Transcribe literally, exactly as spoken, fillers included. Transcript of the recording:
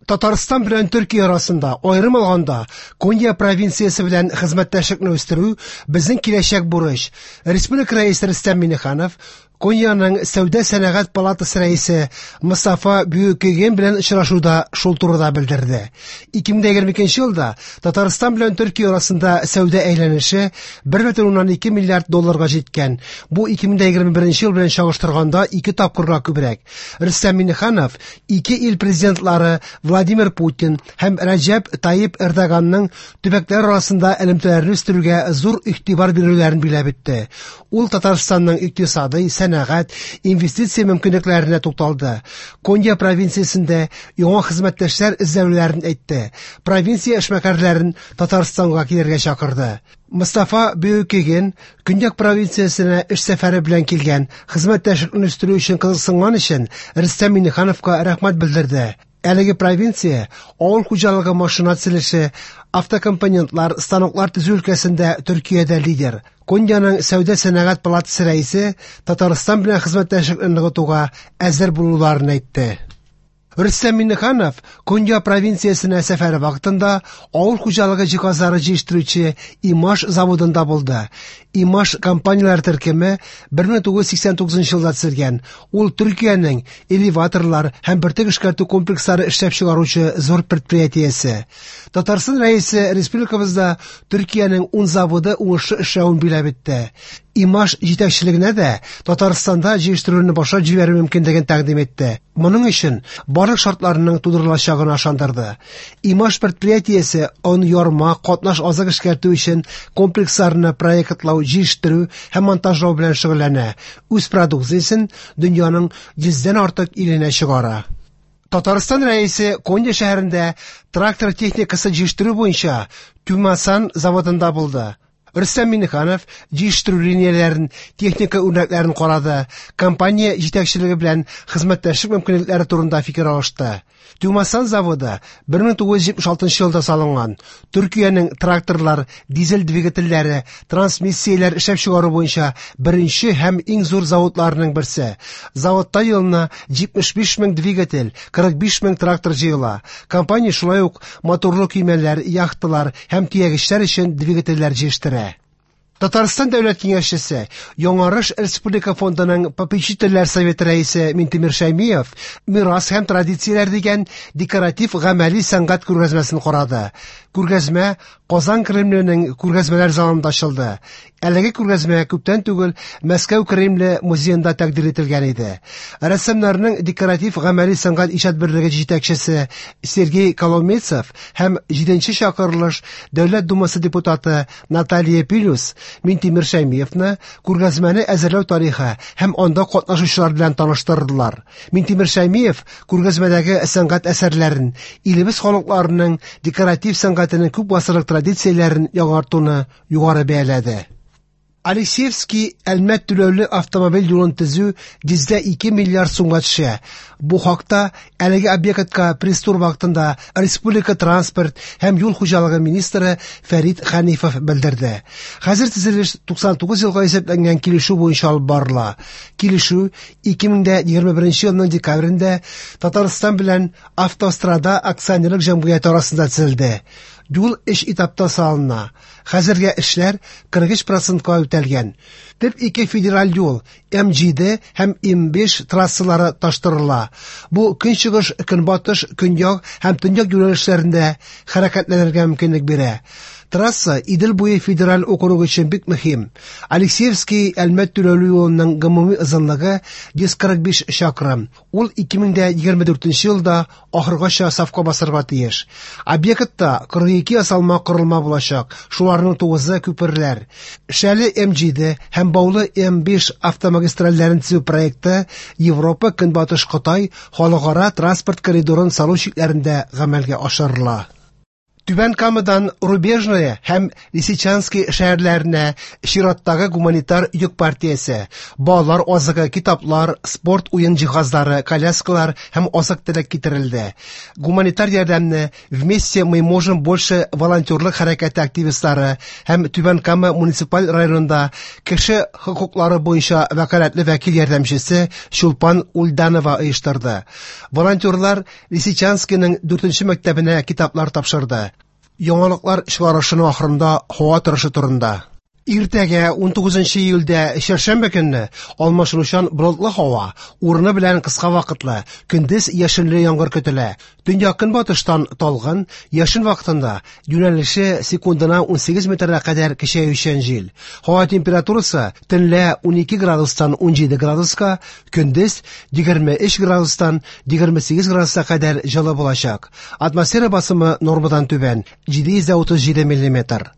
Татарстан белән Төркия арасында, аерым алганда, Конья провинциясе белән хезмәттәшлекне үстерү безнең киләчәк бурыч. Республика рәисе Рөстәм Миңнеханов Коньяның Сәүдә сәнәгать палатасы рәисе Мустафа Бүйүкеген белән очрашуда шул турыда белдерде. ике мең егерме икенче елда Татарстан белән Төркия арасында сәүдә әйләнеше бер бөтен уннан ике миллиард долларга җиткән. Бу ике мең егерме беренче ел белән чагыштырганда ике тапкырга күбрәк. Рөстәм Миңнеханов ике ил президентлары Владимир Путин һәм Рәҗәп Тайип Эрдоганның төбәкләр арасында элемтәләрне үстерүгә зур игътибар бирүләрен билгеләп үтте. Ул Татарстанның икътисадый, сәнәгать, инвестиция мөмкинлекләренә тукталды. Конья провинциясендә яңа хезмәттәшләр эзләүләрен әйтте. Провинция эшмәкәрләрен Татарстанга килергә чакырды. Мустафа Бүйүкеген Көньяк провинциясенә эш сәфәре белән килгән хезмәттәшлекне үстерү өчен кызыксынган өчен Рөстәм Миңнехановка рәхмәт белдерде. Әлеге провинция авыл хуҗалыгы машина төзелеше, автокомпонентлар, станоклар төзү өлкәсендә Төркиядә лидер. Коньяның Сәүдә сәнәгать палатасы рәисе Татарстан белән хезмәттәшлекне ныгытуга әзер булуларын әйтте. Рөстәм Миңнеханов Конья провинциясенә сәфәре вакытында авыл хуҗалыгы җиһазлары җитештерүче Имаш заводында булды. Имаш компанияләр төркеме бер мең тугыз йөз сиксән тугызынчы елда төзелгән. Ул Төркиянең элеваторлар һәм бөртек эшкәртү комплекслары эшләп чыгаручы зур предприятиесе. Татарстан рәисе республикабызда Төркиянең ун заводы уңышлы эшләвен билгеләп үтте. Имаш җитәкчелегенә дә Татарстанда җитештерүне башлап җибәрү мөмкинлеген тәкъдим итте. Моның өчен барлык шартларның тудырылачагына ышандырды. Имаш предприятиесе он ярма, катнаш азык эшкәртү өчен комплексларны проектлау, җитештерү һәм монтажлау белән шөгыльләнә. Үз продукциясен дөньяның йөздән артык иленә чыгара. Татарстан рәисе Конья шәһәрендә трактор техникасы җитештерү буенча Тюмасан заводында булды. Рөстәм Миңнеханов җитештерү линияләрен, техника үрнәкләрен карады, компания җитәкчелеге белән хезмәттәшлек мөмкинлекләре турында фикер алышты. Тюмасан заводы бер мең тугыз йөз җитмеш алтынчы елда салынган. Төркиянең тракторлар, дизель двигательләре, трансмиссияләр эшләп чыгару буенча беренче һәм иң зур заводларының берсе. Заводта елына җитмеш биш мең двигатель, кырык биш мең трактор җыела. Компания шулай ук моторлы көймәләр, яхталар һәм төягечләр өчен двигательләр җитештерә. Татарстан Дәүләт Киңәшчесе, Яңарыш Республика фондының попечительләр советы рәисе Минтимер Шәймиев Мирас һәм традицияләр дигән декоратив гамәли сәнгать күргәзмәсен карады. Күргәзмә Казан Кремленең күргәзмәләр залында ачылды. Әлеге күргәзмә күптән түгел Мәскәү Кремле музеенда тәкъдир ителгән иде. Рәссамнарның декоратив гамәли сәнгать иҗат берлеге җитәкчесе Сергей Коломейцев һәм җиденче чакырылыш Дәүләт Думасы депутаты Наталья Пилюс Минтимер Шәймиевны күргәзмәне әзерләү тарихы һәм анда катнашучылар белән таныштырдылар. Минтимер Шәймиев күргәзмәдәге сәнгать әсәрләрен, илебез халыкларының декоратив сәнгатенең күп гасырлык традицияләрен яңартуны югары бәяләде. Алексеевский Әлмәт түләүле автомобиль юлын төзү йөздә ике миллиард сумга төшә. Бу хакта әлеге объектка пресс-тур вакытында Республика транспорт һәм юл хуҗалыгы министры Фәрит Хәнифов белдерде. Хәзер төзелеш туксан тугыз елга исәпләнгән килешү буенча алып барыла. Килешү ике мең дә егерме беренче елның декабрендә Татарстан белән Автострада акционерлык җәмгыяте арасында төзелде. Юл өч этапта салына. Хәзергә эшләр кырык өч процентка үтәлгән. Төп ике федераль юл М җиде һәм М биш трассалары таштырыла. Бу көнчыгыш, көнбатыш, көньяк һәм төньяк юнәлешләрендә хәрәкәтләнергә мөмкинлек бирә. Трасса Идел буе федераль округы өчен бик мөһим. Алексеевский Әлмәт түләүле юлының гомуми озынлыгы йөз кырык биш чакрым. Ул ике мең дә егерме дүртенче елда ахыргача сафка басарга тиеш. Объектта кырык ике ясалма корылма булачак, шуларның тугызы күперләр. Шәле М җиде һәм Баулы М биш автомагистральләрен төзү проекты Европа Көнбатыш Кытай халыкара транспорт коридорын салу чикләрендә гамәлгә ашырыла. Түбән Камадан Рубежное һәм Лисичанский шәһәрләренә чираттагы гуманитар йөк партиясе – балалар азыгы, китаплар, спорт уен җиһазлары, коляскалар һәм азык-төлек китерелде. Гуманитар ярдәмне «Вместе мы можем больше» волонтерлык хәрәкәте активистлары һәм Түбән Кама муниципаль районында кеше хокуклары буенча вәкаләтле вәкил ярдәмчесе Чулпан Ульданова оештырды. Волонтерлар Лисичанскийның дүртенче мәктәбенә китаплар тапшырды. Яңалыклар чыгарышының ахырында һава торышы турында. Иртәгә унтугызынчы июльдә чәршәмбе көнне алмашынучан болытлы һава, урыны белән кыска вакытлы, көндез яшенле яңгыр көтелә. Төньяк көнбатыштан талгын, яшен вакытында юнәлеше секундына унсигез метрга кадәр көчәючән җил. Һава температурасы төнлә унике градустан унҗиде градуска, көндез егерме өч градустан егерме сигез градуска кадәр җылы булачак. Атмосфера басымы нормадан түбән, җиде йөз утыз җиде миллиметр.